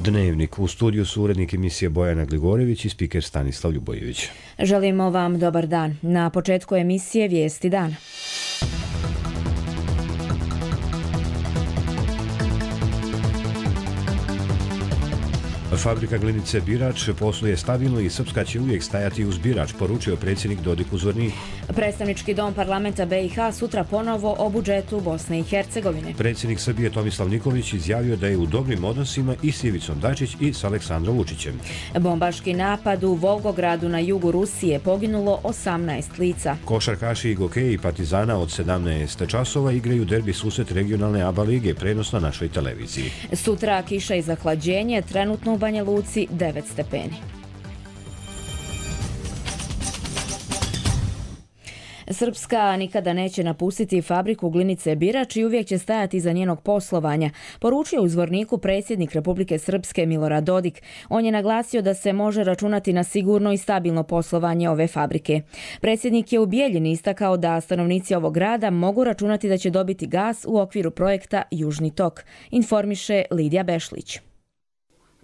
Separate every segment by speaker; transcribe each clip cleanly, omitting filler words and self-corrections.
Speaker 1: Dnevnik. U studiju su urednik emisije Bojana Gligorević i spiker Stanislav Ljubojević.
Speaker 2: Želimo vam dobar dan. Na početku emisije Vijesti dana.
Speaker 1: Fabrika glinice Birač posluje stabilno i Srpska će uvijek stajati uz Birač, poručio predsjednik Dodik u Zvorniku.
Speaker 2: Predstavnički dom parlamenta BiH sutra ponovo o budžetu Bosne i Hercegovine.
Speaker 1: Predsjednik Srbije Tomislav Nikolić izjavio da je u dobrim odnosima i s Ivicom Dačić i s Aleksandrom Vučićem.
Speaker 2: Bombaški napad u Volgogradu na jugu Rusije, poginulo 18 lica.
Speaker 1: Košarkaši i gokeji Partizana od 17 časova igraju derbi susret regionalne ABA lige, prenos na našoj televiziji.
Speaker 2: Sutra kiša i zahlađenje, trenutno u Banja Luci 9 stepeni. Srpska nikada neće napustiti fabriku glinice Birač i uvijek će stajati iza njenog poslovanja, poručio u Zvorniku predsjednik Republike Srpske Milorad Dodik. On je naglasio da se može računati na sigurno i stabilno poslovanje ove fabrike. Predsjednik je u Bijeljini istakao da stanovnici ovog grada mogu računati da će dobiti gas u okviru projekta Južni tok, informiše Lidija Bešlić.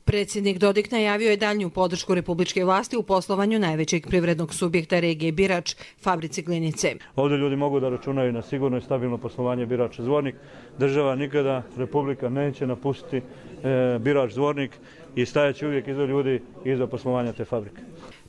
Speaker 3: Predsjednik Dodik najavio je daljnju podršku republičke vlasti u poslovanju najvećeg privrednog subjekta regije Birač, fabrici glinice.
Speaker 4: Ovdje ljudi mogu da računaju na sigurno i stabilno poslovanje Birač Zvornik. Država nikada, Republika neće napustiti Birač Zvornik i stajaće uvijek iza ljudi i iza poslovanja te fabrike.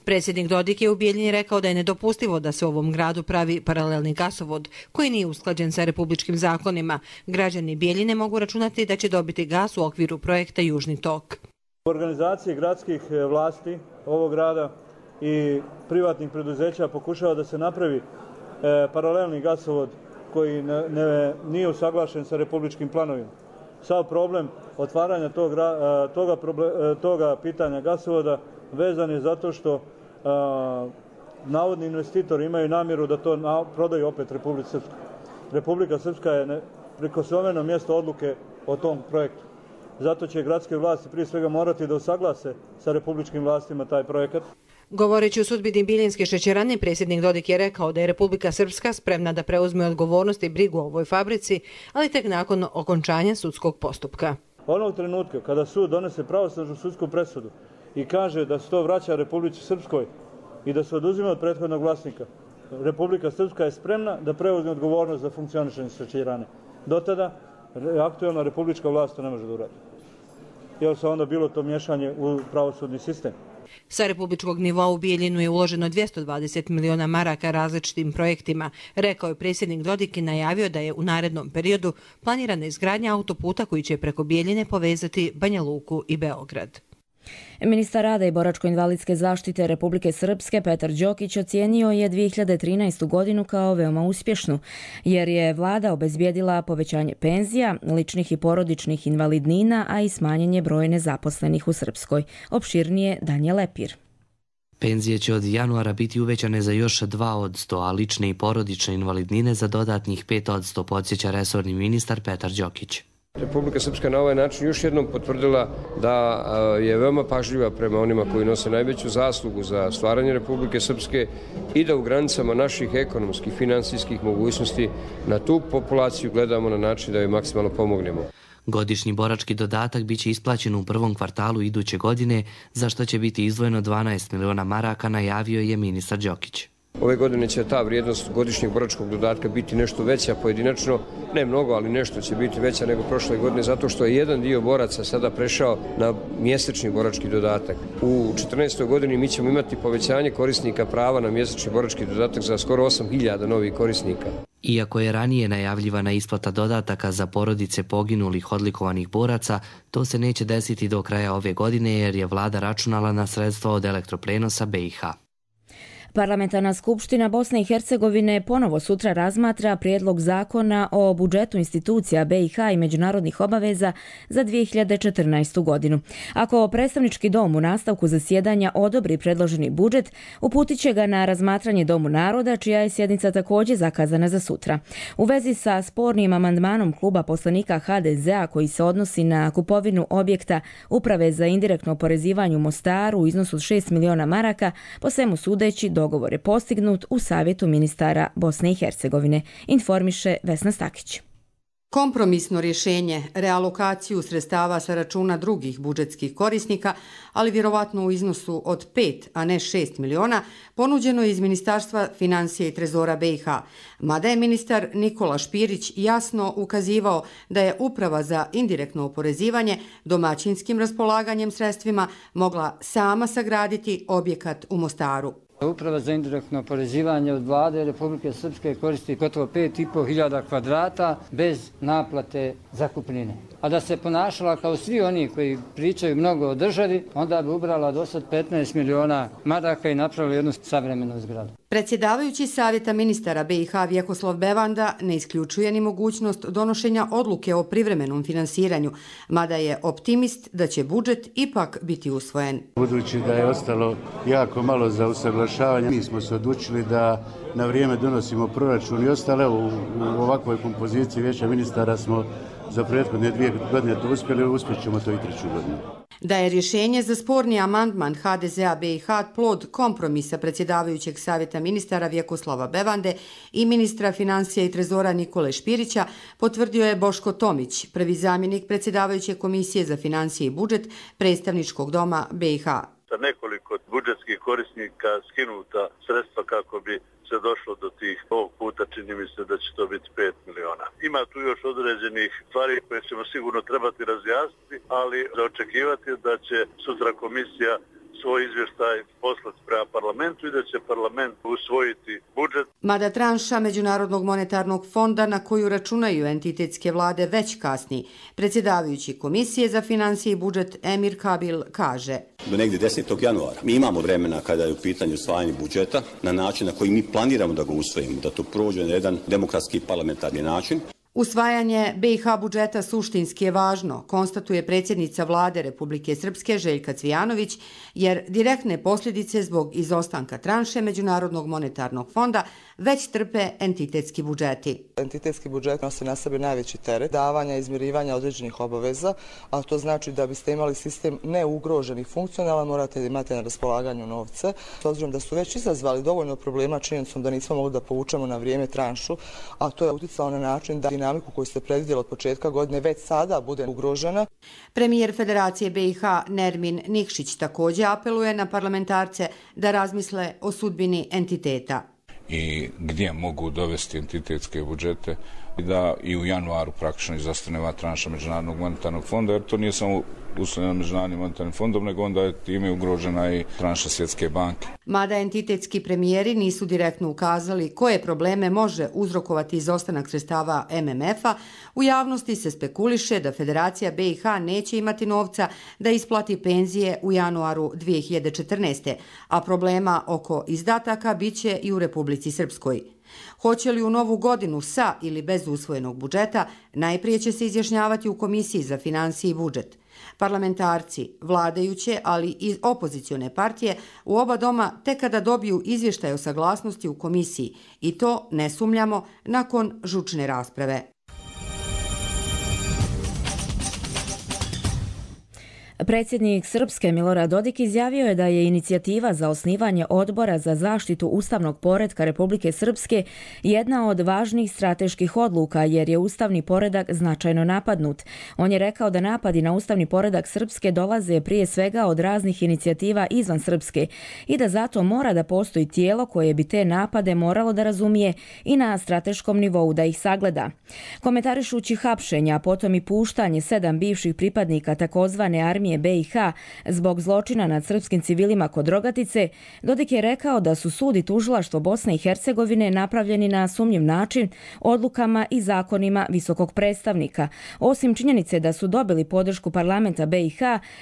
Speaker 3: Predsjednik Dodik je u Bijeljini rekao da je nedopustivo da se u ovom gradu pravi paralelni gasovod koji nije usklađen sa republičkim zakonima. Građani Bijeljine mogu računati da će dobiti gas u okviru projekta Južni tok.
Speaker 4: U organizaciji gradskih vlasti ovog grada i privatnih preduzeća pokušava da se napravi paralelni gasovod koji nije usaglašen sa republičkim planovima. Sav problem otvaranja toga pitanja gasovoda vezan je zato što navodni investitori imaju namjeru da to prodaju opet Republici Srpskoj. Republika Srpska je prikosnoveno mjesto odluke o tom projektu. Zato će gradske vlasti prije svega morati da usaglase sa republičkim vlastima taj projekat.
Speaker 3: Govoreći o sudbini Bijeljinske šećerane, predsjednik Dodik je rekao da je Republika Srpska spremna da preuzme odgovornost i brigu o ovoj fabrici, ali tek nakon okončanja sudskog postupka.
Speaker 4: Onog trenutka kada sud donese pravosnažnu sudsku presudu i kaže da se to vraća Republici Srpskoj i da se oduzima od prethodnog vlasnika, Republika Srpska je spremna da preuzme odgovornost za funkcionisanje šećerane. Do tada aktualna republička vlast to ne može da uradi. Jer se onda bilo to miješanje u pravosudni sistem.
Speaker 3: Sa republičkog nivoa u Bijeljinu je uloženo 220 miliona maraka različitim projektima, rekao je predsjednik Dodik i najavio da je u narednom periodu planirana izgradnja autoputa koji će preko Bijeljine povezati Banja Luku i Beograd.
Speaker 2: Ministar rada i boračko-invalidske zaštite Republike Srpske Petar Đokić ocijenio je 2013. godinu kao veoma uspješnu, jer je vlada obezbijedila povećanje penzija, ličnih i porodičnih invalidnina, a i smanjenje broja nezaposlenih u Srpskoj. Opširnije Danje Lepir.
Speaker 5: Penzije će od januara biti uvećane za još 2%, a lične i porodične invalidnine za dodatnih 5%, podsjeća resorni ministar Petar Đokić.
Speaker 6: Republika Srpska na ovaj način još jednom potvrdila da je veoma pažljiva prema onima koji nose najveću zaslugu za stvaranje Republike Srpske i da u granicama naših ekonomskih, finansijskih mogućnosti na tu populaciju gledamo na način da joj maksimalno pomognemo.
Speaker 5: Godišnji borački dodatak biće isplaćen u prvom kvartalu iduće godine, za što će biti izdvojeno 12 miliona maraka, najavio je ministar Đokić.
Speaker 6: Ove godine će ta vrijednost godišnjeg boračkog dodatka biti nešto veća pojedinačno, ne mnogo, ali nešto će biti veća nego prošle godine, zato što je jedan dio boraca sada prešao na mjesečni borački dodatak. U 2014. godini mi ćemo imati povećanje korisnika prava na mjesečni borački dodatak za skoro 8.000 novih korisnika.
Speaker 5: Iako je ranije najavljivana isplata dodataka za porodice poginulih odlikovanih boraca, to se neće desiti do kraja ove godine jer je vlada računala na sredstva od elektroprenosa BiH.
Speaker 2: Parlamentarna skupština Bosne i Hercegovine ponovo sutra razmatra prijedlog zakona o budžetu institucija BiH i međunarodnih obaveza za 2014. godinu. Ako predstavnički dom u nastavku zasjedanja odobri predloženi budžet, uputit će ga na razmatranje Domu naroda, čija je sjednica također zakazana za sutra. U vezi sa spornim amandmanom kluba poslanika HDZ-a koji se odnosi na kupovinu objekta Uprave za indirektno oporezivanje u Mostaru u iznosu od 6 miliona maraka, po svemu sudeći dogovor je postignut u Savjetu ministara Bosne i Hercegovine, informiše Vesna Stakić.
Speaker 7: Kompromisno rješenje, realokaciju sredstava sa računa drugih budžetskih korisnika, ali vjerovatno u iznosu od 5, a ne 6 miliona, ponuđeno je iz Ministarstva financija i trezora BiH. Mada je ministar Nikola Špirić jasno ukazivao da je Uprava za indirektno oporezivanje domaćinskim raspolaganjem sredstvima mogla sama sagraditi objekat u Mostaru.
Speaker 8: Uprava za indirektno oporezivanje od vlade Republike Srpske koristi gotovo 5.500 kvadrata bez naplate zakupnine. A da se ponašala kao svi oni koji pričaju mnogo o državi, onda bi ubrala do sad 15 miliona maraka i napravila jednu savremenu zgradu.
Speaker 7: Predsjedavajući Savjeta ministara BiH Vjekoslav Bevanda ne isključuje ni mogućnost donošenja odluke o privremenom finansiranju, mada je optimist da će budžet ipak biti usvojen.
Speaker 9: Budući da je ostalo jako malo za usaglašavanje, mi smo se odlučili da na vrijeme donosimo proračun i ostale. U ovakvoj kompoziciji Vijeća ministara smo za prethodne 2 godine to uspjeli, uspjet ćemo to i 3. godinu.
Speaker 7: Da je rješenje za sporni amandman HDZ-a BiH plod kompromisa predsjedavajućeg Savjeta ministara Vjekoslava Bevande i ministra financija i trezora Nikole Špirića, potvrdio je Boško Tomić, prvi zamjenik predsjedavajuće Komisije za financije i budžet Predstavničkog doma BiH.
Speaker 10: Sa nekoliko budžetskih korisnika skinuta sredstva kako bi se došlo do tih. Ovog puta čini mi se da će to biti 5 miliona. Ima tu još određenih stvari koje ćemo sigurno trebati razjasniti, ali za očekivati da će sutra komisija svoj izvještaj poslati prema parlamentu i da će parlament usvojiti budžet.
Speaker 7: Mada tranša Međunarodnog monetarnog fonda na koju računaju entitetske vlade već kasni, predsjedavajući Komisije za financije i budžet Emir Kabil kaže:
Speaker 11: do negdje 10. januara. Mi imamo vremena kada je u pitanju usvajanje budžeta na način na koji mi planiramo da ga usvojimo, da to prođe na jedan demokratski parlamentarni način.
Speaker 7: Usvajanje BiH budžeta suštinski je važno, konstatuje predsjednica vlade Republike Srpske Željka Cvijanović, jer direktne posljedice zbog izostanka tranše Međunarodnog monetarnog fonda već trpe entitetski budžeti.
Speaker 12: Entitetski budžet nosi na sebe najveći teret davanja i izmirivanja određenih obaveza, a to znači da biste imali sistem neugrožen i funkcionalan, morate imati na raspolaganju novce. S obzirom da su već izazvali dovoljno problema činjenicom da nismo mogli da povučemo na vrijeme tranšu, a to je uticalo na način da dinamiku koju ste predvidjeli od početka godine već sada bude ugrožena.
Speaker 7: Premijer Federacije BiH Nermin Nikšić također apeluje na parlamentarce da razmisle o sudbini entiteta.
Speaker 13: I gdje mogu dovesti entitetske budžete i da i u januaru praktično izostane ova tranša Međunarodnog monetarnog fonda, jer to nije samo uslovljeno Međunarodnim monetarnim fondom, nego onda je time ugrožena i tranša Svjetske banke.
Speaker 7: Mada entitetski premijeri nisu direktno ukazali koje probleme može uzrokovati izostanak sredstava MMF-a, u javnosti se spekuliše da Federacija BiH neće imati novca da isplati penzije u januaru 2014. A problema oko izdataka biće i u Republici Srpskoj. Hoće li u novu godinu sa ili bez usvojenog budžeta, najprije će se izjašnjavati u Komisiji za financije i budžet. Parlamentarci, vladajuće, ali i opozicione partije u oba doma tek kada dobiju izvještaj o saglasnosti u komisiji, i to, ne sumnjamo, nakon žučne rasprave.
Speaker 2: Predsjednik Srpske Milorad Dodik izjavio je da je inicijativa za osnivanje odbora za zaštitu ustavnog poretka Republike Srpske jedna od važnijih strateških odluka jer je ustavni poredak značajno napadnut. On je rekao da napadi na ustavni poredak Srpske dolaze prije svega od raznih inicijativa izvan Srpske i da zato mora da postoji tijelo koje bi te napade moralo da razumije i na strateškom nivou da ih sagleda. Komentarišući hapšenja, a potom i puštanje 7 bivših pripadnika takozvane armije BiH zbog zločina nad srpskim civilima kod Rogatice, Dodik je rekao da su sud i tužilaštvo Bosne i Hercegovine napravljeni na sumnjiv način odlukama i zakonima visokog predstavnika. Osim činjenice da su dobili podršku parlamenta BiH,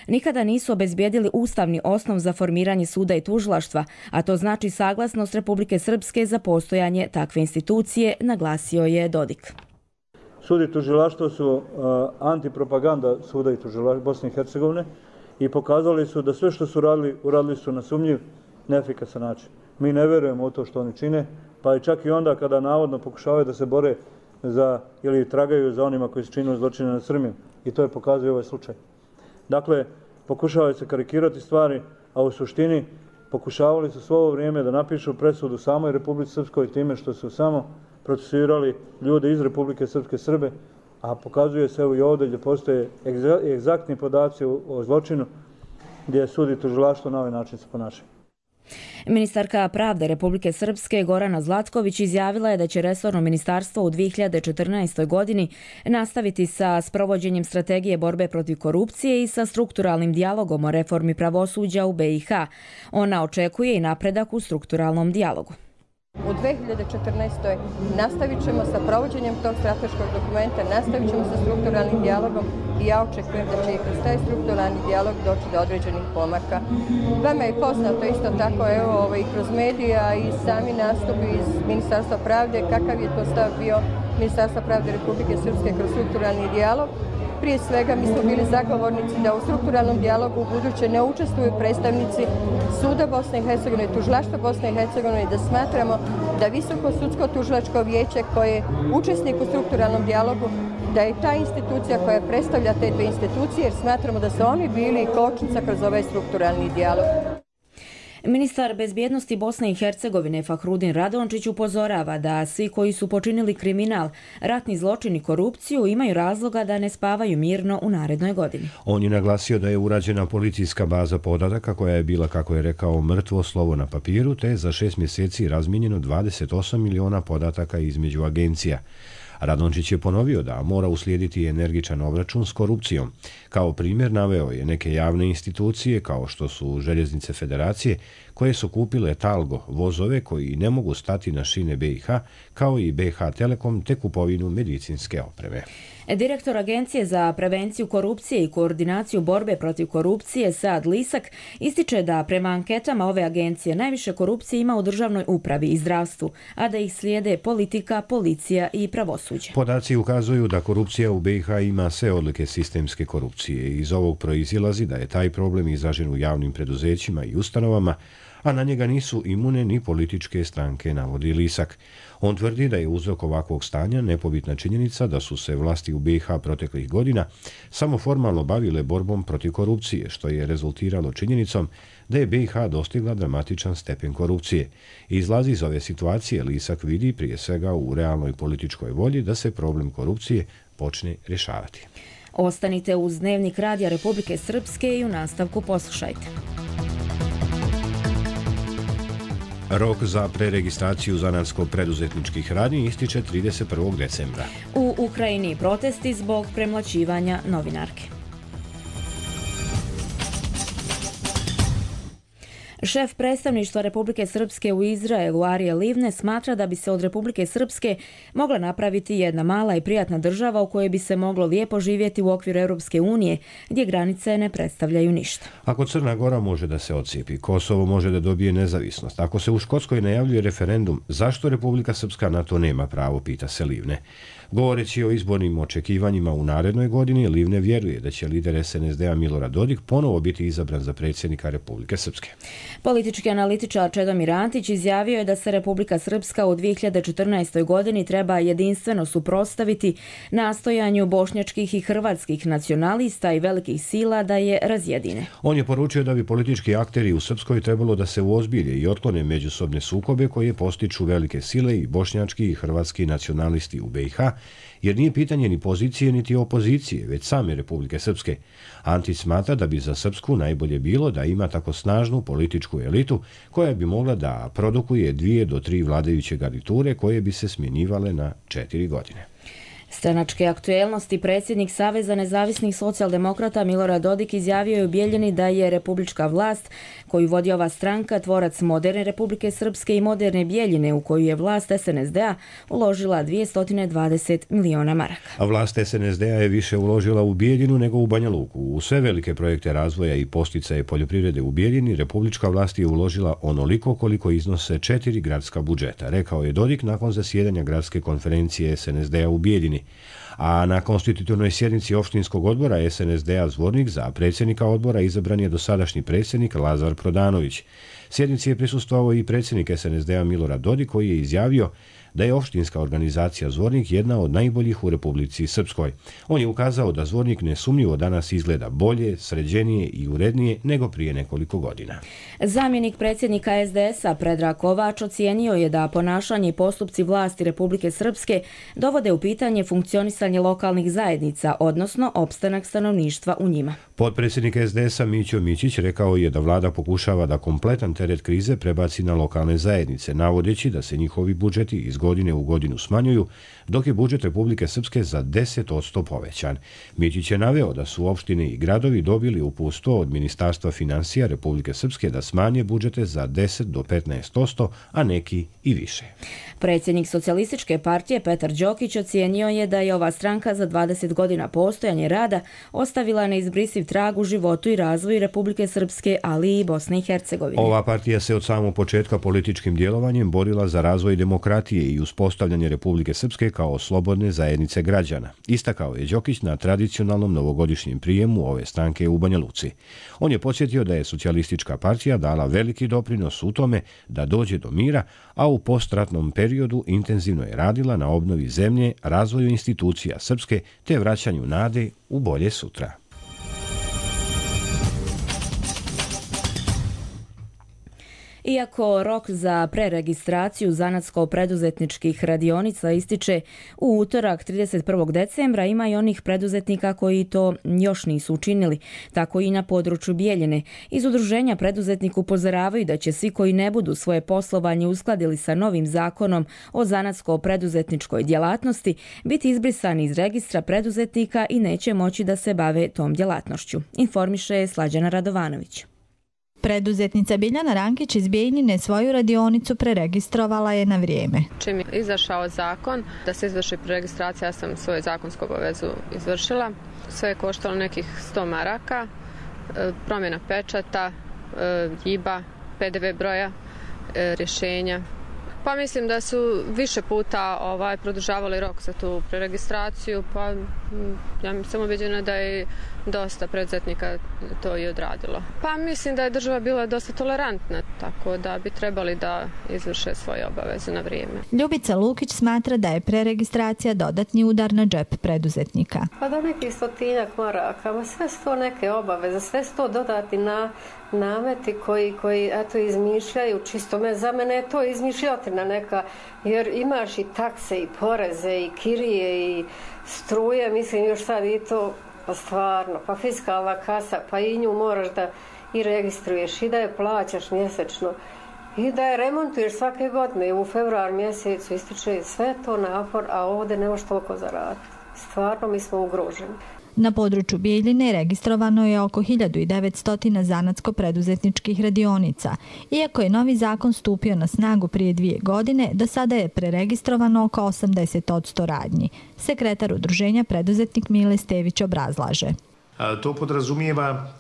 Speaker 2: nikada nisu obezbijedili ustavni osnov za formiranje suda i tužilaštva, a to znači saglasnost Republike Srpske za postojanje takve institucije, naglasio je Dodik.
Speaker 4: Sud i tužilaštvo su antipropaganda suda i tužilaštva Bosne i Hercegovine i pokazali su da sve što su radili, uradili su na sumnjiv, neefikasan način. Mi ne vjerujemo u to što oni čine, pa i čak i onda kada navodno pokušavaju da se bore za ili tragaju za onima koji su činili zločine nad Srbima. I to je pokazuje ovaj slučaj. Dakle, pokušavaju se karikirati stvari, a u suštini pokušavali su svo ovo vrijeme da napišu presudu samoj Republici Srpskoj time što su samo procesuirali ljude iz Republike Srpske Srbe, a pokazuje se evo i ovdje gdje postoje egzaktni podaci o zločinu gdje sud i tužilaštvo na ovaj način se ponašaju.
Speaker 2: Ministarka pravde Republike Srpske Gorana Zlatković izjavila je da će resorno ministarstvo u 2014. godini nastaviti sa sprovođenjem strategije borbe protiv korupcije i sa strukturalnim dijalogom o reformi pravosuđa u BiH. Ona očekuje i napredak u strukturalnom dijalogu.
Speaker 14: U 2014. nastavit ćemo sa provođenjem tog strateškog dokumenta, nastavit ćemo sa strukturalnim dijalogom i ja očekujem da će i kroz taj strukturalni dijalog doći do određenih pomaka. Vama je poznato isto tako i kroz medija i sami nastupi iz Ministarstva pravde kakav je to stav bio Ministarstva pravde Republike Srpske kroz strukturalni dijalog. Prije svega mi smo bili zagovornici da u strukturalnom dijalogu u buduće ne učestvuju predstavnici Suda Bosne i Hercegovine, Tužilaštva Bosne i Hercegovine i da smatramo da Visoko sudsko tužilačko vijeće koje je učesnik u strukturalnom dijalogu, da je ta institucija koja predstavlja te dve institucije jer smatramo da su oni bili kočnica kroz ovaj strukturalni dijalog.
Speaker 2: Ministar bezbjednosti Bosne i Hercegovine Fahrudin Radončić upozorava da svi koji su počinili kriminal, ratni zločin i korupciju imaju razloga da ne spavaju mirno u narednoj godini.
Speaker 1: On je naglasio da je urađena policijska baza podataka koja je bila, kako je rekao, mrtvo slovo na papiru, te za 6 mjeseci razmijenjeno 28 miliona podataka između agencija. Radončić je ponovio da mora uslijediti energičan obračun s korupcijom. Kao primjer naveo je neke javne institucije kao što su Željeznice Federacije koje su kupile Talgo, vozove koji ne mogu stati na šine BiH, kao i BiH Telekom te kupovinu medicinske opreme.
Speaker 2: Direktor Agencije za prevenciju korupcije i koordinaciju borbe protiv korupcije Saad Lisak ističe da prema anketama ove agencije najviše korupcije ima u državnoj upravi i zdravstvu, a da ih slijede politika, policija i pravosuđe.
Speaker 1: Podaci ukazuju da korupcija u BiH ima sve odlike sistemske korupcije. Iz ovog proizilazi da je taj problem izražen u javnim preduzećima i ustanovama, a na njega nisu imune ni političke stranke, navodi Lisak. On tvrdi da je uzrok ovakvog stanja nepobitna činjenica da su se vlasti u BiH proteklih godina samo formalno bavile borbom protiv korupcije, što je rezultiralo činjenicom da je BiH dostigla dramatičan stepen korupcije. Izlazi iz ove situacije Lisak vidi prije svega u realnoj političkoj volji da se problem korupcije počne rješavati.
Speaker 2: Ostanite uz Dnevnik Radija Republike Srpske i u nastavku poslušajte.
Speaker 1: Rok za preregistraciju zanatsko-preduzetničkih radnji ističe 31. decembra.
Speaker 2: U Ukrajini protesti zbog premlaćivanja novinarke. Šef predstavništva Republike Srpske u Izraelu Arije Livne smatra da bi se od Republike Srpske mogla napraviti jedna mala i prijatna država u kojoj bi se moglo lijepo živjeti u okviru Europske unije, gdje granice ne predstavljaju ništa.
Speaker 1: Ako Crna Gora može da se odcijepi, Kosovo može da dobije nezavisnost. Ako se u Škotskoj najavljuje referendum, zašto Republika Srpska na to nema pravo, pita se Livne. Govoreći o izbornim očekivanjima u narednoj godini, Livne vjeruje da će lider SNSD-a Milorad Dodik ponovo biti izabran za predsjednika Republike Srpske.
Speaker 2: Politički analitičar Čedomir Antić izjavio je da se Republika Srpska u 2014. godini treba jedinstveno suprotstaviti nastojanju bošnjačkih i hrvatskih nacionalista i velikih sila da je razjedine.
Speaker 1: On je poručio da bi politički akteri u Srpskoj trebalo da se uozbilje i otklone međusobne sukobe koje postiču velike sile i bošnjački i hrvatski nacionalisti u BiH, jer nije pitanje ni pozicije niti opozicije, već same Republike Srpske. Antić smatra da bi za Srpsku najbolje bilo da ima tako snažnu političku elitu koja bi mogla da produkuje 2 do 3 vladajuće garniture koje bi se smjenjivale na 4 godine.
Speaker 2: Stranačke aktuelnosti predsjednik Saveza nezavisnih socijaldemokrata Milorad Dodik izjavio je u Bijeljini da je republička vlast koju vodi ova stranka tvorac moderne Republike Srpske i moderne Bijeljine u koju je vlast SNSD-a uložila 220 miliona maraka.
Speaker 1: A vlast SNSD-a je više uložila u Bijeljinu nego u Banja Luku. U sve velike projekte razvoja i posticaje poljoprivrede u Bijeljini republička vlast je uložila onoliko koliko iznose 4 gradska budžeta, rekao je Dodik nakon zasjedanja gradske konferencije SNSD-a u Bijeljini. A na konstitutivnoj sjednici opštinskog odbora SNSD-a Zvornik za predsjednika odbora izabran je dosadašnji predsjednik Lazar Prodanović. Sjednici je prisustvovao i predsjednik SNSD-a Milorad Dodik koji je izjavio da je opštinska organizacija Zvornik jedna od najboljih u Republici Srpskoj. On je ukazao da Zvornik nesumnjivo danas izgleda bolje, sređenije i urednije nego prije nekoliko godina.
Speaker 2: Zamjenik predsjednika SDS-a Predrag Kovač ocijenio je da ponašanje i postupci vlasti Republike Srpske dovode u pitanje funkcionisanje funkcionisanje lokalnih zajednica, odnosno opstanak stanovništva u njima.
Speaker 1: Potpredsjednik SDS-a Mićo Mićić rekao je da vlada pokušava da kompletan teret krize prebaci na lokalne zajednice, navodeći da se njihovi budžeti iz godine u godinu smanjuju, dok je budžet Republike Srpske za 10% povećan. Mićić je naveo da su opštine i gradovi dobili uputstvo od Ministarstva finansija Republike Srpske da smanje budžete za 10 do 15%, a neki i više.
Speaker 2: Predsjednik Socijalističke partije Petar Đokić ocijenio je da je ova stranka za 20 godina postojanja rada ostavila neizbrisiv trag u životu i razvoju Republike Srpske, ali i Bosne i Hercegovine.
Speaker 1: Ova partija se od samog početka političkim djelovanjem borila za razvoj demokratije i uspostavljanje Republike Srpske kao slobodne zajednice građana. Istakao je Đokić na tradicionalnom novogodišnjem prijemu ove stranke u Banja Luci. On je podsjetio da je Socijalistička partija dala veliki doprinos u tome da dođe do mira, a u postratnom periodu intenzivno je radila na obnovi zemlje, razvoju institucija srpske te vraćanju nade u bolje sutra.
Speaker 2: Iako rok za preregistraciju zanatsko-preduzetničkih radionica ističe u utorak 31. decembra, ima i onih preduzetnika koji to još nisu učinili. Tako i na području Bijeljine. Iz udruženja preduzetnika upozoravaju da će svi koji ne budu svoje poslovanje uskladili sa novim zakonom o zanatsko-preduzetničkoj djelatnosti biti izbrisani iz registra preduzetnika i neće moći da se bave tom djelatnošću. Informiše Slađana Radovanović.
Speaker 15: Preduzetnica Biljana Rankić iz Bijeljine svoju radionicu preregistrovala je na vrijeme.
Speaker 16: Čim je izašao zakon da se izvrši preregistracija, ja sam svoju zakonsku obavezu izvršila. Sve je koštalo nekih 100 maraka, promjena pečata, JIB-a, PDV broja, rješenja. Pa mislim da su više puta produžavali rok za tu preregistraciju, pa ja sam ubeđena da je dosta preduzetnika to i odradilo. Pa mislim da je država bila dosta tolerantna, tako da bi trebali da izvrše svoje obaveze na vrijeme.
Speaker 15: Ljubica Lukić smatra da je preregistracija dodatni udar na džep preduzetnika.
Speaker 17: Pa da neki 100 maraka, sve su to neke obaveze, sve su to dodati na nameti koji eto izmišljaju, čisto za mene je to izmišljotina neka, jer imaš i takse i poreze i kirije i struje, mislim još sad i to, pa stvarno, pa fiskalna kasa, pa i nju moraš da i registruješ i da je plaćaš mjesečno i da je remontuješ svake godine. U februar mjesecu ističe sve to napor, a ovdje ne možeš toliko zaraditi. Stvarno mi smo ugroženi.
Speaker 15: Na području Bijeljine registrovano je oko 1900 zanatsko-preduzetničkih radionica. Iako je novi zakon stupio na snagu prije 2 godine, do sada je preregistrovano oko 80% radnji. Sekretar udruženja preduzetnik Mile Stević obrazlaže.
Speaker 18: To podrazumijeva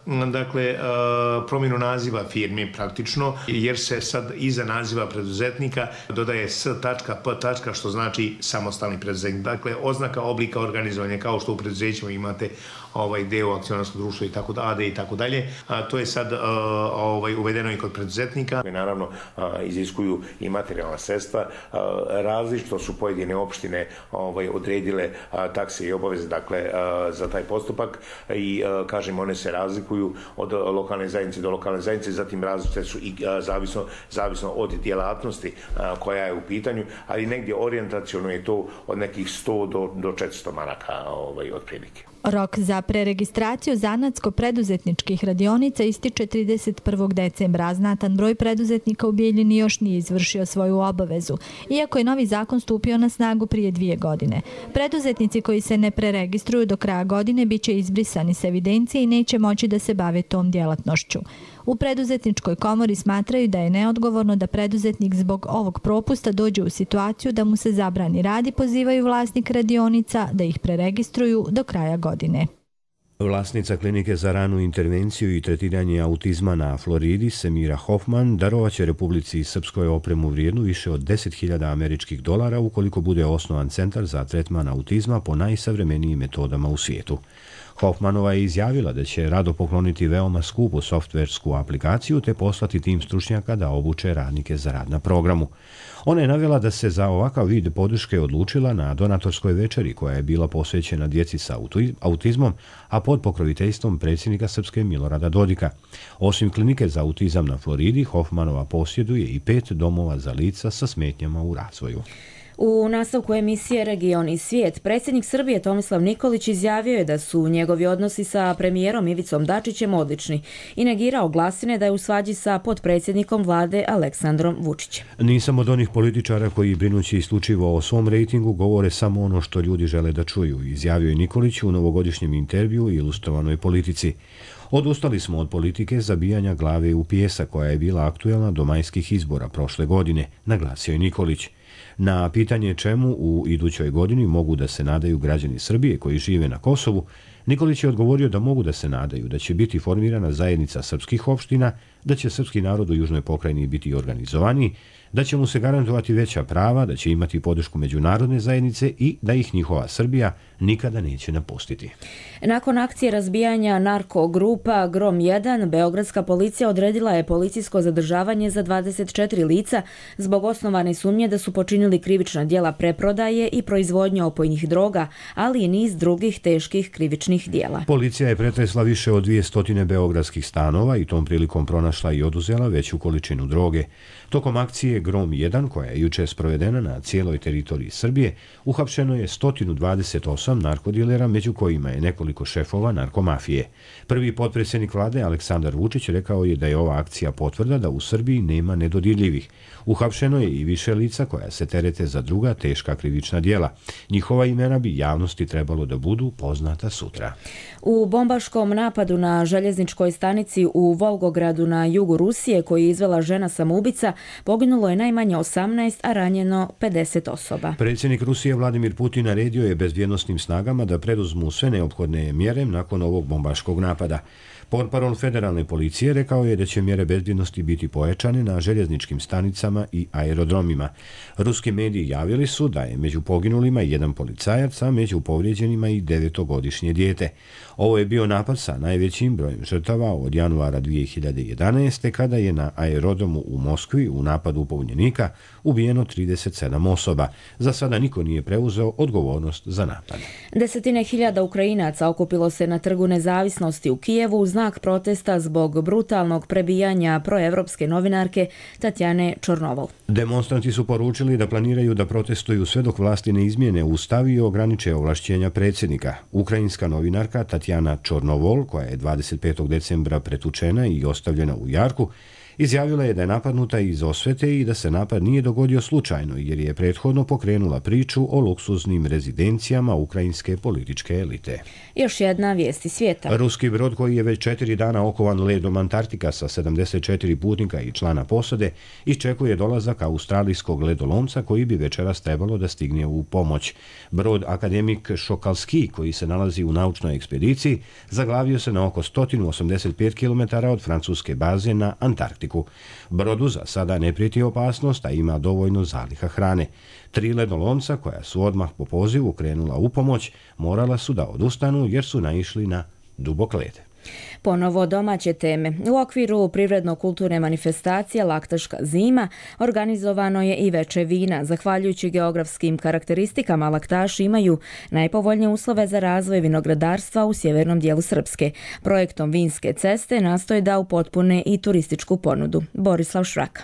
Speaker 18: promjenu naziva firmi praktično, jer se sad iza naziva preduzetnika dodaje S.P. što znači samostalni preduzetnik. Dakle, oznaka oblika organizovanja, kao što u preduzećima imate deo akcionarskog društva i tako dalje i tako dalje. To je sad uvedeno i kod preduzetnika. Naravno, iziskuju i materijalna sredstva. Različito su pojedine opštine odredile takse i obaveze za taj postupak i kažem, one se razlikuju od lokalne zajednice do lokalne zajednice, zatim različite su i zavisno od djelatnosti koja je u pitanju, ali negdje orijentaciono je to od nekih 100 do 400 maraka otprilike.
Speaker 15: Rok za preregistraciju zanatsko-preduzetničkih radionica ističe 31. decembra, a znatan broj preduzetnika u Bijeljini još nije izvršio svoju obavezu, iako je novi zakon stupio na snagu prije 2 godine. Preduzetnici koji se ne preregistruju do kraja godine bit će izbrisani s evidencije i neće moći da se bave tom djelatnošću. U preduzetničkoj komori smatraju da je neodgovorno da preduzetnik zbog ovog propusta dođe u situaciju da mu se zabrani rad i pozivaju vlasnik radionica da ih preregistruju do kraja godine.
Speaker 1: Vlasnica klinike za ranu intervenciju i tretiranje autizma na Floridi, Semira Hoffman, darovaće Republici Srpskoj opremu vrijednu više od $10.000 američkih ukoliko bude osnovan centar za tretman autizma po najsavremenijim metodama u svijetu. Hoffmanova je izjavila da će rado pokloniti veoma skupu softversku aplikaciju te poslati tim stručnjaka da obuče radnike za rad na programu. Ona je navela da se za ovakav vid podrške odlučila na donatorskoj večeri koja je bila posvećena djeci sa autizmom, a pod pokroviteljstvom predsjednika Srpske Milorada Dodika. Osim klinike za autizam na Floridi, Hoffmanova posjeduje i 5 domova za lica sa smetnjama u razvoju.
Speaker 2: U nastavku emisije Region i svijet, predsjednik Srbije Tomislav Nikolić izjavio je da su njegovi odnosi sa premijerom Ivicom Dačićem odlični i negirao glasine da je u svađi sa potpredsjednikom vlade Aleksandrom Vučićem.
Speaker 1: Nisam od onih političara koji brinući isključivo o svom rejtingu govore samo ono što ljudi žele da čuju, izjavio je Nikolić u novogodišnjem intervjuu i Ilustrovanoj politici. Odustali smo od politike zabijanja glave u pijesak koja je bila aktuelna do majskih izbora prošle godine, naglasio je Nikolić. Na pitanje čemu u idućoj godini mogu da se nadaju građani Srbije koji žive na Kosovu, Nikolić je odgovorio da mogu da se nadaju da će biti formirana zajednica srpskih opština, da će srpski narod u Južnoj pokrajini biti organizovaniji, da će mu se garantovati veća prava, da će imati podršku međunarodne zajednice i da ih njihova Srbija nikada neće napustiti.
Speaker 2: Nakon akcije razbijanja narko-grupa Grom 1, beogradska policija odredila je policijsko zadržavanje za 24 lica zbog osnovane sumnje da su počinili krivična djela preprodaje i proizvodnje opojnih droga, ali i niz drugih teških krivičnih djela.
Speaker 1: Policija je pretresla više od 200 beogradskih stanova i tom prilikom pronašla i oduzela veću količinu droge. Tokom akcije Grom 1, koja je juče sprovedena na cijeloj teritoriji Srbije, uhapšeno je 128 narkodilera, među kojima je nekoliko šefova narkomafije. Prvi potpredsjednik vlade Aleksandar Vučić rekao je da je ova akcija potvrda da u Srbiji nema nedodirljivih. Uhapšeno je i više lica koja se terete za druga teška krivična djela. Njihova imena bi javnosti trebalo da budu poznata sutra.
Speaker 2: U bombaškom napadu na željezničkoj stanici u Volgogradu na jugu Rusije, koji je izvela žena samoubica, poginulo je najmanje 18, a ranjeno 50 osoba.
Speaker 1: Predsjednik Rusije Vladimir Putin naredio je bezbjednosnim snagama da preduzmu sve neophodne mjere nakon ovog bombaškog napada. Portparol federalne policije rekao je da će mjere bezbjednosti biti pojačane na željezničkim stanicama i aerodromima. Ruski mediji javili su da je među poginulima jedan policajac, a među povrijeđenima i 9-godišnje dijete. Ovo je bio napad sa najvećim brojem žrtava od januara 2011. kada je na aerodromu u Moskvi u napadu pobunjenika ubijeno 37 osoba. Za sada niko nije preuzeo odgovornost za napad.
Speaker 2: Desetine hiljada Ukrajinaca okupilo se na Trgu nezavisnosti u Kijevu u znak protesta zbog brutalnog prebijanja proevropske novinarke Tatjane Čornovol.
Speaker 1: Demonstranti su poručili da planiraju da protestuju sve dok vlasti ne izmijene ustav i ograniče ovlašćenja predsjednika. Ukrajinska novinarka Tatjana Čornovol, koja je 25. decembra pretučena i ostavljena u jarku, izjavila je da je napadnuta iz osvete i da se napad nije dogodio slučajno, jer je prethodno pokrenula priču o luksuznim rezidencijama ukrajinske političke elite.
Speaker 2: Još jedna vijest iz svijeta.
Speaker 1: Ruski brod koji je već 4 dana okovan ledom Antarktika sa 74 putnika i člana posade iščekuje dolazak australijskog ledolomca koji bi večeras trebalo da stigne u pomoć. Brod Akademik Šokalski, koji se nalazi u naučnoj ekspediciji, zaglavio se na oko 185 km od francuske baze na Antarktiku. Brodu za sada ne prijeti opasnost, a ima dovoljno zaliha hrane. 3 ledolomca, koja su odmah po pozivu krenula u pomoć, morala su da odustanu jer su naišli na dubok led.
Speaker 2: Ponovo domaće teme. U okviru privredno-kulturne manifestacije Laktaška zima organizovano je i veče vina. Zahvaljujući geografskim karakteristikama, laktaši imaju najpovoljnije uslove za razvoj vinogradarstva u sjevernom dijelu Srpske. Projektom Vinske ceste nastoje da upotpune i turističku ponudu. Borislav Šraka.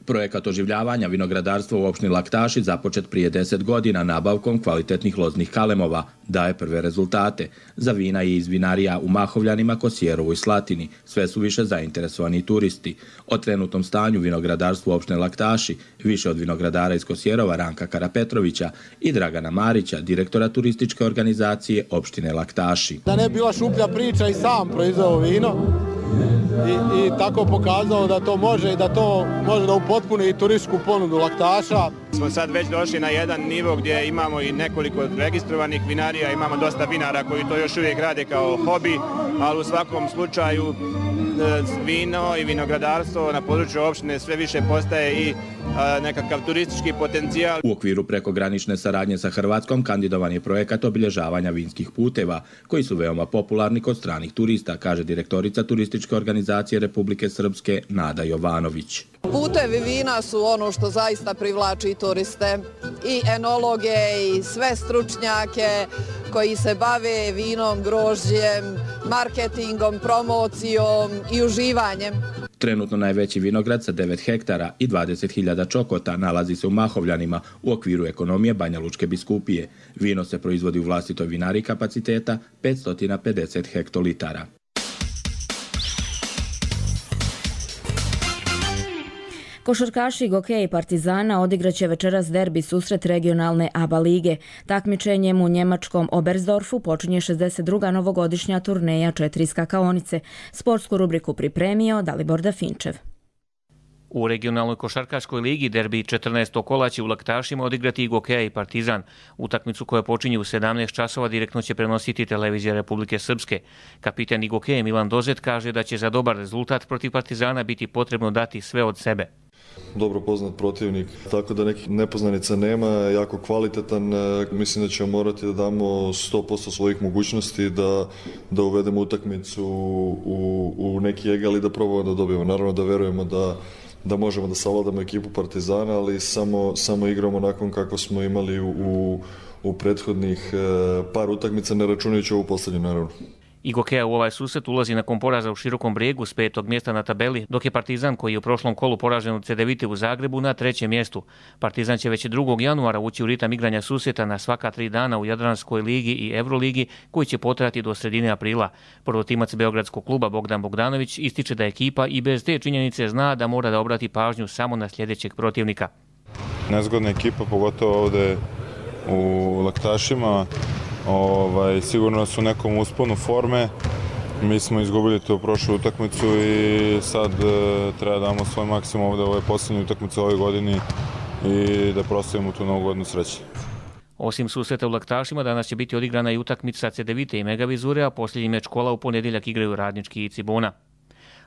Speaker 19: Projekat oživljavanja vinogradarstva u opštini Laktaši započet prije 10 godina nabavkom kvalitetnih loznih kalemova daje prve rezultate. Za vina i iz vinarija u Mahovljanima, Kosjerovu i Slatini sve su više zainteresovani turisti. O trenutnom stanju vinogradarstva u opštini Laktaši više od vinogradara iz Kosjerova Ranka Karapetrovića i Dragana Marića, direktora turističke organizacije opštine Laktaši.
Speaker 20: Da ne bi bila šuplja priča i sam proizveo vino i tako pokazao da to može i da to može da upotpuni i turističku ponudu Laktaša.
Speaker 21: Smo sad već došli na jedan nivo gdje imamo i nekoliko registrovanih vinarija, imamo dosta vinara koji to još uvijek rade kao hobi, ali u svakom slučaju vino i vinogradarstvo na području opštine sve više postaje i nekakav turistički potencijal.
Speaker 19: U okviru prekogranične saradnje sa Hrvatskom kandidovan je projekat obilježavanja vinskih puteva, koji su veoma popularni kod stranih turista, kaže direktorica turističke organizacije Republike Srpske Nada Jovanović.
Speaker 22: Putevi vina su ono što zaista privlači turiste, i enologe i sve stručnjake koji se bave vinom, grožđem, marketingom, promocijom i uživanjem.
Speaker 19: Trenutno najveći vinograd sa 9 hektara i 20.000 čokota nalazi se u Mahovljanima u okviru ekonomije Banja Lučke biskupije. Vino se proizvodi u vlastitoj vinari kapaciteta 550 hektolitara.
Speaker 2: Košarkaši Gokeja i Partizana odigraće večeras derbi susret regionalne ABA lige. Takmičenjem u njemačkom Oberstdorfu počinje 62. novogodišnja turneja 4 skakaonice. Sportsku rubriku pripremio Dalibor Dafinčev.
Speaker 3: U regionalnoj košarkaškoj ligi derbi 14. kola će u Laktašima odigrati i Gokeja i Partizan. Utakmicu koja počinje u 17 časova direktno će prenositi televizija Republike Srpske. Kapitan Gokeja Milan Dozet kaže da će za dobar rezultat protiv Partizana biti potrebno dati sve od sebe.
Speaker 6: Dobro poznat protivnik, tako da nekih nepoznanica nema, jako kvalitetan. Mislim da ćemo morati da damo 100% svojih mogućnosti da uvedemo utakmicu u neki egal i da probamo da dobijemo. Naravno da verujemo da možemo da savladamo ekipu Partizana, ali samo igramo nakon kako smo imali u prethodnih par utakmica, ne računajući ovu posljednju naravno.
Speaker 3: I Gokeja u ovaj susret ulazi nakon poraza u Širokom Brijegu s 5. mjesta na tabeli, dok je Partizan, koji je u prošlom kolu poražen od Cedevite u Zagrebu, na 3. mjestu. Partizan će već 2. januara ući u ritam igranja susreta na svaka 3 dana u Jadranskoj ligi i Euroligi, koji će potrajati do sredine aprila. Prvotimac beogradskog kluba Bogdan Bogdanović ističe da ekipa i bez te činjenice zna da mora da obrati pažnju samo na sljedećeg protivnika.
Speaker 23: Nezgodna ekipa, pogotovo ovde u Laktašima. Sigurno su u nekom usponu forme. Mi smo izgubili to prošlu utakmicu i sad treba da damo svoj maksimum ovdje u ovoj posljednjoj utakmici ove godini i da proslavimo tu novu godinu sreće.
Speaker 3: Osim susreta u Laktašima, danas će biti odigrana i utakmica Cedevite i Megavizure, a posljednji meč kola u ponedjeljak igraju Radnički i Cibona.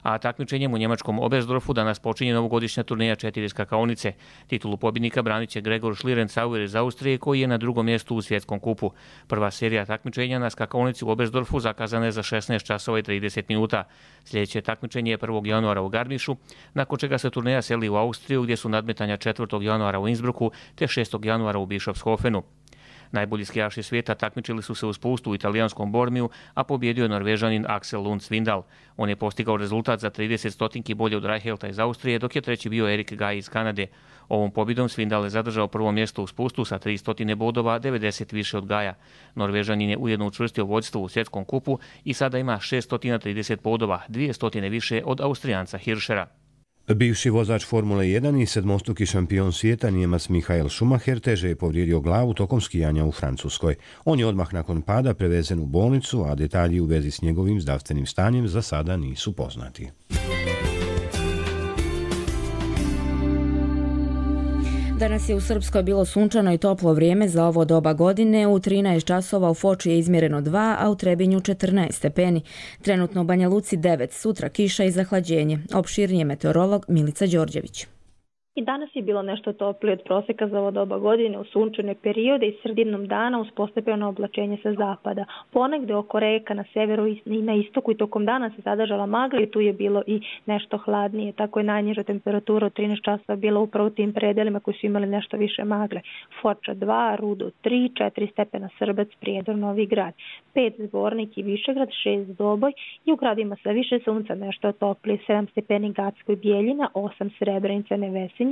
Speaker 3: A takmičenjem u njemačkom Oberstdorfu danas počinje novogodišnja turneja 4 skakaonice. Titulu pobjednika branit će Gregor Schlierencauer iz Austrije, koji je na 2. mjestu u svjetskom kupu. Prva serija takmičenja na skakaonici u Oberstdorfu zakazana je za 16 časova i 30 minuta. Sljedeće takmičenje je 1. januara u Garmišu, nakon čega se turneja seli u Austriju, gdje su nadmetanja 4. januara u Innsbrucku te 6. januara u Bischofshofenu. Najbolji skijaši svijeta takmičili su se u spustu u italijanskom Bormiju, a pobjedio je Norvežanin Axel Lund Svindal. On je postigao rezultat za 30 stotinki bolje od Reihelta iz Austrije, dok je treći bio Erik Gaj iz Kanade. Ovom pobjedom Svindal je zadržao prvo mjesto u spustu sa 300 bodova, 90 više od Gaja. Norvežanin je ujedno učvrstio vodstvo u svjetskom kupu i sada ima 630 bodova, 200 više od Austrijanca Hirschera.
Speaker 1: Bivši vozač Formule 1 i sedmostruki šampion svijeta Nijemac Michael Schumacher teže je povrijedio glavu tokom skijanja u Francuskoj. On je odmah nakon pada prevezen u bolnicu, a detalji u vezi s njegovim zdravstvenim stanjem za sada nisu poznati.
Speaker 2: Danas je u Srpskoj bilo sunčano i toplo vrijeme za ovo doba godine. U 13 časova u Foči je izmjereno 2, a u Trebinju 14 stepeni. Trenutno u Banja Luci 9, sutra kiša i zahlađenje. Opširnije meteorolog Milica Đorđević.
Speaker 24: I danas je bilo nešto toplije od prosjeka za ovo doba godine u sunčane periode i sredinom dana uz postepeno oblačenje sa zapada. Ponegde oko reka na severu i na istoku i tokom dana se zadržala magla i tu je bilo i nešto hladnije. Tako je najniža temperatura od 13 časova bila upravo u tim predelima koji su imali nešto više magle. Foča 2, Rudo 3, 4 stepena Srbac, Prijedor, Novi Grad, 5 Zvornik i Višegrad, 6 Doboj i u gradima sa više sunca nešto toplije, 7 stepeni Gacko i Bijeljina, 8 Srebrenica, Nevesinje,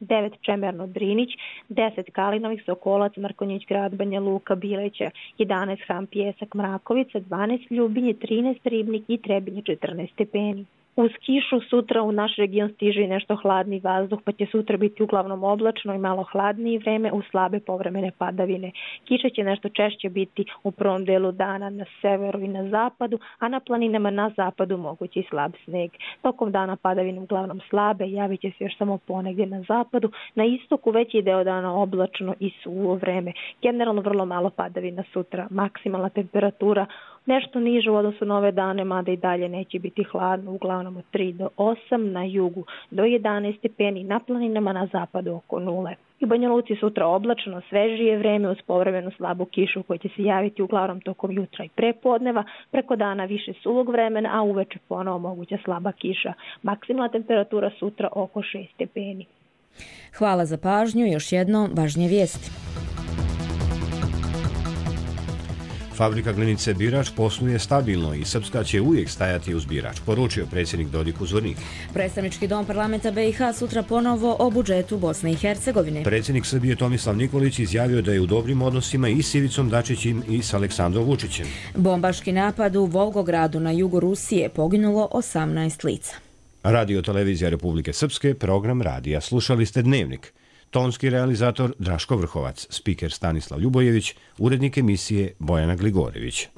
Speaker 24: 9 Čemerno, Drinić, 10 Kalinovih, Sokolac, Markonjić, Grad, Banja Luka, Bileća, 11 Ham, Pjesak, Mrakovica, 12 Ljubinje, 13 Ribnik i Trebinje, 14 stepeni. Uz kišu sutra u naš region stiže i nešto hladni vazduh, pa će sutra biti uglavnom oblačno i malo hladnije vreme uz slabe povremene padavine. Kiša će nešto češće biti u prvom delu dana na severu i na zapadu, a na planinama na zapadu mogući slab sneg. Tokom dana padavine uglavnom slabe, javit će se još samo ponegdje na zapadu, na istoku veći deo dana oblačno i suvo vreme. Generalno vrlo malo padavina sutra, maksimalna temperatura nešto niže u odnosu na ove dane, mada i dalje neće biti hladno, uglavnom od 3 do 8, na jugu do 11 stepeni, na planinama na zapadu oko 0. I u Banja Luci sutra oblačno, svežije vreme uz povremenu slabu kišu koja će se javiti uglavnom tokom jutra i prepodneva, preko dana više suvog vremena, a uveče ponovo moguća slaba kiša. Maksimalna temperatura sutra oko 6 stepeni.
Speaker 2: Hvala za pažnju, još jednom važnije vijesti.
Speaker 1: Fabrika glinice Birač posluje stabilno i Srpska će uvijek stajati uz Birač, poručio predsjednik Dodik u Zvorniku.
Speaker 2: Predstavnički dom parlamenta BiH sutra ponovo o budžetu Bosne i Hercegovine.
Speaker 1: Predsjednik Srbije Tomislav Nikolić izjavio da je u dobrim odnosima i s Ivicom Dačićem i s Aleksandrom Vučićem.
Speaker 2: Bombaški napad u Volgogradu na jugu Rusije, poginulo 18 lica.
Speaker 1: Radio Televizija Republike Srpske, program radija. Slušali ste Dnevnik. Tonski realizator Draško Vrhovac, spiker Stanislav Ljubojević, urednik emisije Bojana Gligorević.